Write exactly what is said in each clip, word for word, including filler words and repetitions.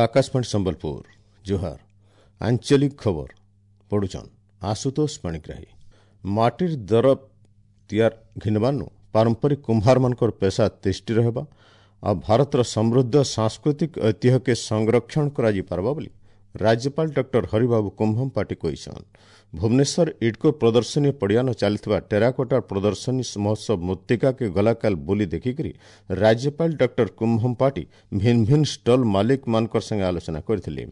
ଆକାଶବାଣୀ ସମ୍ବଲପୁର ଜୁହାର ଆଞ୍ଚଳିକ ଖବର ପଢୁଛନ୍ ଆଶୁତୋଷ ପାଣିଗ୍ରାହୀ ମାଟିର ଦରବ ତିଆର ଘିନବାର୍ନୁ ପାରମ୍ପରିକ କୁମ୍ଭାରମାନଙ୍କର ପେସା ତିଷ୍ଠି ରହିବା ଆଉ ଭାରତର ସମୃଦ୍ଧ ସାଂସ୍କୃତିକ ଐତିହ୍ୟକେ ସଂରକ୍ଷଣ କରାଯାଇପାରବା ବୋଲି ରାଜ୍ୟପାଳ ଡକ୍ଟର ହରିବାବୁ କୁମ୍ଭମପାଟି କହିଛନ୍ ଭୁବନେଶ୍ୱର ଇଡ୍କୋ ପ୍ରଦର୍ଶନୀ ପଡ଼ିଆନ ଚାଲିଥିବା ଟେରାକୋଟା ପ୍ରଦର୍ଶନୀ ମହୋତ୍ସବ ମୃତ୍ତିକାକେ ଗଲାକାଲ ବୁଲି ଦେଖିକରି ରାଜ୍ୟପାଳ ଡକ୍ଟର କୁମ୍ଭମପାଟି ଭିନ୍ ଭିନ୍ ଷ୍ଟଲ୍ ମାଲିକମାନଙ୍କର ସାଙ୍ଗେ ଆଲୋଚନା କରିଥିଲେ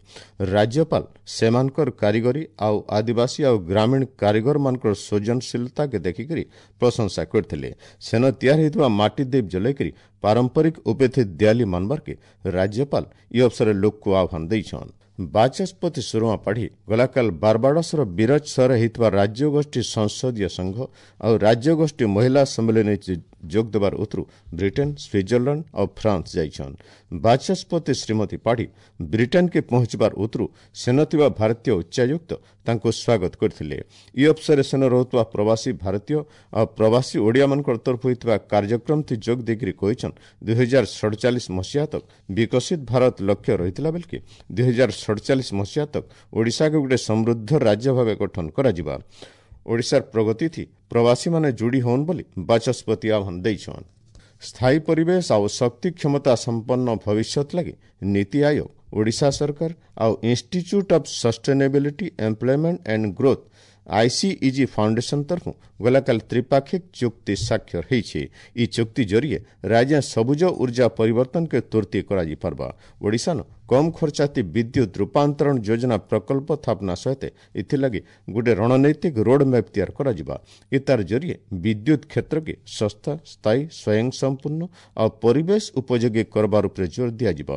ରାଜ୍ୟପାଳ ସେମାନଙ୍କର କାରିଗରୀ ଆଉ ଆଦିବାସୀ ଆଉ ଗ୍ରାମୀଣ କାରିଗରମାନଙ୍କର ସୃଜନଶୀଳତାକେ ଦେଖିକରି ପ୍ରଶଂସା କରିଥିଲେ ସେନ ତିଆରି ହୋଇଥିବା ମାଟି ଦୀପ ଜଲାଇକରି ପାରମ୍ପରିକ ଉପେଥି ଦିଆଲି ମାନବାର୍କେ ରାଜ୍ୟପାଳ ଇ ଅବସରରେ ଲୋକକୁ ଆହ୍ୱାନ ଦେଇଛନ୍ ବାଚସ୍ପତି ସୁରମା ପାଢ଼ୀ ଗଲାକାଲ ବାରବାଡସର ବିରଜ ସହରରେ ହୋଇଥିବା ରାଜ୍ୟଗୋଷ୍ଠୀ ସଂସଦୀୟ ସଂଘ ଆଉ ରାଜ୍ୟଗୋଷ୍ଠୀ ମହିଳା ସମ୍ମିଳନୀ ଯୋଗ ଦେବାର ଉତରୁ ବ୍ରିଟେନ୍ ସୁଇଜରଲ୍ୟାଣ୍ଡ ଆଉ ଫ୍ରାନ୍ସ ଯାଇଛନ୍ ବାଚସ୍ପତି ଶ୍ରୀମତୀ ପାଢ଼ୀ ବ୍ରିଟେନ୍କେ ପହଞ୍ଚିବାର ଉତରୁ ସେନ ଥିବା ଭାରତୀୟ ଉଚ୍ଚାୟୁକ୍ତ ତାଙ୍କୁ ସ୍ୱାଗତ କରିଥିଲେ ଇ ଅବସରରେ ସେନ ରହୁଥିବା ପ୍ରବାସୀ ଭାରତୀୟ ଆଉ ପ୍ରବାସୀ ଓଡ଼ିଆମାନଙ୍କର ତରଫ ହୋଇଥିବା କାର୍ଯ୍ୟକ୍ରମଥି ଯୋଗ ଦେଇକରି କହିଛନ୍ ଦୁଇହଜାର ସଡ଼ଚାଳିଶ ମସିହା ତକ୍ ବିକଶିତ ଭାରତ ଲକ୍ଷ୍ୟ ରହିଥିଲା ବେଲକି ଦୁଇହଜାର ସଡ଼ଚାଳିଶ ମସିହା ତକ୍ ଓଡ଼ିଶାକୁ ଗୋଟେ ସମୃଦ୍ଧ ରାଜ୍ୟ ଭାବେ ଗଠନ କରାଯିବା ଓଡ଼ିଶାର ପ୍ରଗତିଥି ପ୍ରବାସୀମାନେ ଯୋଡ଼ି ହଉନ୍ ବୋଲି ବାଚସ୍ପତି ଆହ୍ୱାନ ଦେଇଛନ୍ ସ୍ଥାୟୀ ପରିବେଶ ଆଉ ଶକ୍ତି କ୍ଷମତା ସମ୍ପନ୍ନ ଭବିଷ୍ୟତ ଲାଗି ନୀତି ଆୟୋଗ ଓଡ଼ିଶା ସରକାର ଆଉ Institute of Sustainability Employment and Growth ICEG Foundation ତରଫୁ ଗଲାକାଲି ତ୍ରିପାକ୍ଷିକ ଚୁକ୍ତି ସ୍ୱାକ୍ଷର ହେଇଛି ଇ ଚୁକ୍ତି ଜରିଏ ରାଜ୍ୟ ସବୁଜ ଉର୍ଜା ପରିବର୍ତ୍ତନକେ ତୁର୍ତି କରାଯାଇପାରବା ଓଡ଼ିଶାନ କମ୍ ଖର୍ଚ୍ଚାତି ବିଦ୍ୟୁତ୍ ରୂପାନ୍ତରଣ ଯୋଜନା ପ୍ରକଳ୍ପ ସ୍ଥାପନା ସହିତ ଏଥିଲାଗି ଗୋଟେ ରଣନୈତିକ ରୋଡ୍ ମ୍ୟାପ୍ ତିଆରି କରାଯିବା ଏ ତାର ଜରିଏ ବିଦ୍ୟୁତ୍ କ୍ଷେତ୍ରକେ ଶସ୍ତା ସ୍ଥାୟୀ ସ୍ୱୟଂସମ୍ପୂର୍ଣ୍ଣ ଆଉ ପରିବେଶ ଉପଯୋଗୀ କରବାର ଉପରେ ଜୋର ଦିଆଯିବ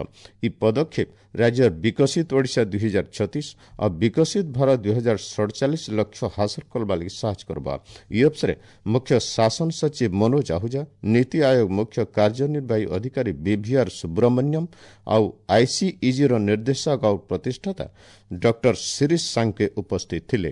ଇ ପଦକ୍ଷେପ ରାଜ୍ୟର ବିକଶିତ ଓଡ଼ିଶା ଦୁଇହଜାର ଛତିଶ ଆଉ ବିକଶିତ ଭାରତ ଦୁଇହଜାର ସଡ଼ଚାଳିଶ ଲକ୍ଷ୍ୟ ହାସଲ କରବା ଲାଗି ସାହାଯ୍ୟ କରବା ଇ ଅବସରେ ମୁଖ୍ୟ ଶାସନ ସଚିବ ମନୋଜ ଆହୁଜା ନୀତି ଆୟୋଗ ମୁଖ୍ୟ କାର୍ଯ୍ୟନିର୍ବାହୀ ଅଧିକାରୀ ବିଭିଆର୍ ସୁବ୍ରମଣ୍ୟମ ଆଉ ଆଇସିଇଜିର ନିର୍ଦ୍ଦେଶକ ଆଉ ପ୍ରତିଷ୍ଠାତା ଡକ୍ଟର ଶିରିଶ ସାଙ୍କେ ଉପସ୍ଥିତ ଥିଲେ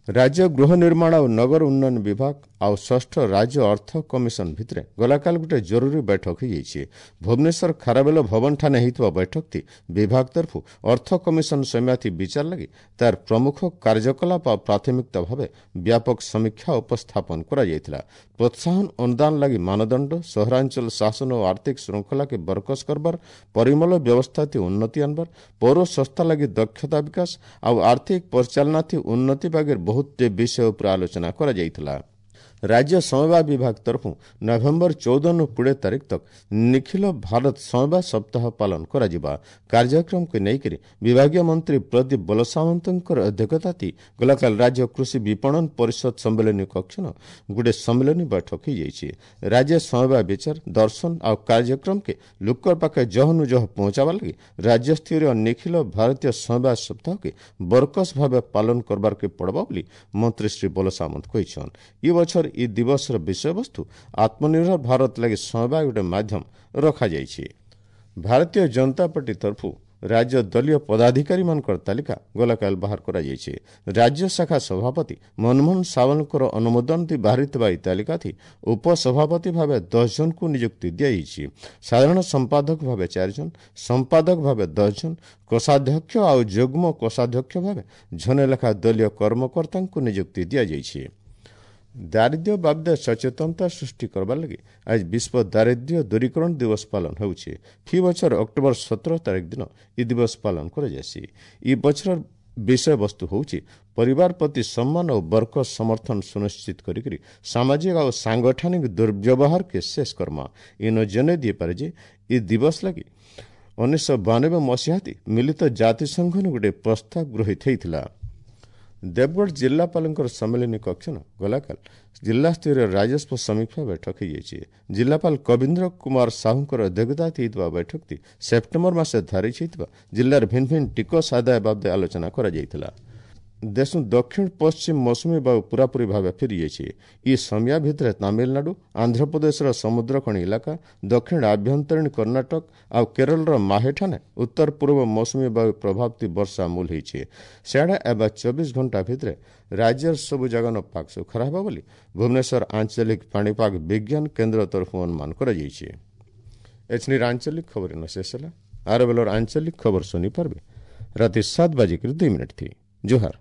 ରାଜ୍ୟ ଗୃହ ନିର୍ମାଣ ଆଉ ନଗର ଉନ୍ନୟନ ବିଭାଗ ଆଉ ଷଷ୍ଠ ରାଜ୍ୟ ଅର୍ଥ କମିଶନ ଭିତରେ ଗଲାକାଲି ଗୋଟେ ଜରୁରୀ ବୈଠକ ହୋଇଯାଇଛି ଭୁବନେଶ୍ୱର ଖାରବେଲ ଭବନଠାନେ ହୋଇଥିବା ବୈଠକଟି ବିଭାଗ ତରଫରୁ ଅର୍ଥ କମିଶନ ସମିୟାଥି ବିଚାର ଲାଗି ତାର ପ୍ରମୁଖ କାର୍ଯ୍ୟକଳାପ ଆଉ ପ୍ରାଥମିକତା ଭାବେ ବ୍ୟାପକ ସମୀକ୍ଷା ଉପସ୍ଥାପନ କରାଯାଇଥିଲା ପ୍ରୋତ୍ସାହନ ଅନୁଦାନ ଲାଗି ମାନଦଣ୍ଡ ସହରାଞ୍ଚଳ ଶାସନ ଓ ଆର୍ଥିକ ଶୃଙ୍ଖଳାକେ ବରକସ କରବାର ପରିମଳ ବ୍ୟବସ୍ଥାଥି ଉନ୍ନତି ଆନବାର ପୌର ସଂସ୍ଥା ଲାଗି ଦକ୍ଷତା ବିକାଶ ଆଉ ଆର୍ଥିକ ପରିଚାଳନାଥି ଉନ୍ନତି ବାଗେର ବହୁତ ବିଷୟ ଉପରେ ଆଲୋଚନା କରାଯାଇଥିଲା ରାଜ୍ୟ ସମବାୟ ବିଭାଗ ତରଫୁ ନଭେମ୍ବର ଚଉଦରୁ କୋଡ଼ିଏ ତାରିଖ ତକ୍ ନିଖିଳ ଭାରତ ସମବାୟ ସପ୍ତାହ ପାଳନ କରାଯିବା କାର୍ଯ୍ୟକ୍ରମକୁ ନେଇକରି ବିଭାଗୀୟ ମନ୍ତ୍ରୀ ପ୍ରଦୀପ ବଲସାମନ୍ତଙ୍କର ଅଧ୍ୟକ୍ଷତାତି ଗଲାକାଲି ରାଜ୍ୟ କୃଷି ବିପଣନ ପରିଷଦ ସମ୍ମିଳନୀ କକ୍ଷନ ଗୋଟେ ସମ୍ମିଳନୀ ବୈଠକ ହୋଇଯାଇଛି ରାଜ୍ୟ ସମବାୟ ବିଚାର ଦର୍ଶନ ଆଉ କାର୍ଯ୍ୟକ୍ରମକେ ଲୋକର ପାଖେ ଜହନୁ ଜହ ପହଞ୍ଚାବା ଲାଗି ରାଜ୍ୟସ୍ତରୀୟ ନିଖିଳ ଭାରତୀୟ ସମବାୟ ସପ୍ତାହକେ ବରକସ ଭାବେ ପାଳନ କରବାରକେ ପଡ଼ବା ବୋଲି ମନ୍ତ୍ରୀ ଶ୍ରୀ ବଲସାମନ୍ତ କହିଛନ୍ ଇ ବଛର ଇ ଦିବସର ବିଷୟବସ୍ତୁ ଆତ୍ମନିର୍ଭର ଭାରତ ଲାଗି ସମବାୟ ଗୋଟେ ମାଧ୍ୟମ ରଖାଯାଇଛି ଭାରତୀୟ ଜନତା ପାର୍ଟି ତରଫରୁ ରାଜ୍ୟ ଦଳୀୟ ପଦାଧିକାରୀମାନଙ୍କର ତାଲିକା ଗଲାକାଲି ବାହାର କରାଯାଇଛି ରାଜ୍ୟ ଶାଖା ସଭାପତି ମନମୋହନ ସାମଲଙ୍କର ଅନୁମୋଦନ ଦେଇ ବାହାରିଥିବା ଏହି ତାଲିକାଥି ଉପସଭାପତି ଭାବେ ଦଶ ଜଣଙ୍କୁ ନିଯୁକ୍ତି ଦିଆଯାଇଛି ସାଧାରଣ ସମ୍ପାଦକ ଭାବେ ଚାରି ଜଣ ସମ୍ପାଦକ ଭାବେ ଦଶ ଜଣ କୋଷାଧ୍ୟକ୍ଷ ଆଉ ଯୁଗ୍ମ କୋଷାଧ୍ୟକ୍ଷ ଭାବେ ଜଣେ ଲେଖା ଦଳୀୟ କର୍ମକର୍ତ୍ତାଙ୍କୁ ନିଯୁକ୍ତି ଦିଆଯାଇଛି ଦାରିଦ୍ର୍ୟ ବାବଦେ ସଚେତନତା ସୃଷ୍ଟି କରବାର୍ ଲାଗି ଆଜି ବିଶ୍ୱ ଦାରିଦ୍ର୍ୟ ଦୂରୀକରଣ ଦିବସ ପାଳନ ହେଉଛି ଫି ବଛର ଅକ୍ଟୋବର ସତର ତାରିଖ ଦିନ ଇ ଦିବସ ପାଳନ କରାଯାଏସି ଇ ବଛରର ବିଷୟବସ୍ତୁ ହେଉଛି ପରିବାର ପ୍ରତି ସମ୍ମାନ ଓ ବର୍ଗ ସମର୍ଥନ ସୁନିଶ୍ଚିତ କରିକରି ସାମାଜିକ ଆଉ ସାଙ୍ଗଠନିକ ଦୁର୍ବ୍ୟବହାରକେ ଶେଷ କର୍ମା ଇନ ଜଣେଇ ଦେଇପାରେ ଯେ ଇ ଦିବସ ଲାଗି ଉଣେଇଶହ ବାନବେ ମସିହାତି ମିଳିତ ଜାତିସଂଘନ ଗୋଟେ ପ୍ରସ୍ତାବ ଗୃହୀତ ହେଇଥିଲା ଦେବଗଡ଼ ଜିଲ୍ଲାପାଳଙ୍କର ସମ୍ମିଳନୀ କକ୍ଷନ ଗଲାକାଲ ଜିଲ୍ଲାସ୍ତରୀୟ ରାଜସ୍ୱ ସମୀକ୍ଷା ବୈଠକ ହୋଇଯାଇଛି ଜିଲ୍ଲାପାଳ କବୀନ୍ଦ୍ର କୁମାର ସାହୁଙ୍କର ଅଧ୍ୟକ୍ଷତା ହୋଇଥିବା ବୈଠକଟି ସେପ୍ଟେମ୍ବର ମାସ ଧାରିଛି ହୋଇଥିବା ଜିଲ୍ଲାର ଭିନ୍ନ ଭିନ୍ନ ଟିକସ ଆଦାୟ ବାବଦେ ଆଲୋଚନା କରାଯାଇଥିଲା ଦେଶ ଦକ୍ଷିଣ ପଶ୍ଚିମ ମୌସୁମୀ ବାୟୁ ପୁରାପୁରି ଭାବେ ଫେରିଯାଇଛି ଇ ସମିୟା ଭିତରେ ତାମିଲନାଡୁ ଆନ୍ଧ୍ରପ୍ରଦେଶର ସମୁଦ୍ରଖଣି ଇଲାକା ଦକ୍ଷିଣ ଆଭ୍ୟନ୍ତରୀଣ କର୍ଣ୍ଣାଟକ ଆଉ କେରଳର ମାହେଠାନେ ଉତ୍ତର ପୂର୍ବ ମୌସୁମୀ ବାୟୁ ପ୍ରଭାବତି ବର୍ଷା ମୂଲ ହେଇଛି ସିଆଡ଼େ ଏବେ ଚବିଶ ଘଣ୍ଟା ଭିତରେ ରାଜ୍ୟର ସବୁ ଜାଗାନ ପାଗ ଶୁଖରା ହେବ ବୋଲି ଭୁବନେଶ୍ୱର ଆଞ୍ଚଳିକ ପାଣିପାଗ ବିଜ୍ଞାନ କେନ୍ଦ୍ର ତରଫରୁ ଅନୁମାନ କରାଯାଇଛି ଏଛନିର ଆଞ୍ଚଳିକ ଖବର ଶେଷ ହେଲା ଆର ବେଲର ଆଞ୍ଚଳିକ ଖବର ଶୁଣି ପାରବେ ରାତି ସାତ ବାଜିକରି ଦୁଇ ମିନିଟ୍ ଥି। ଜୁହାର।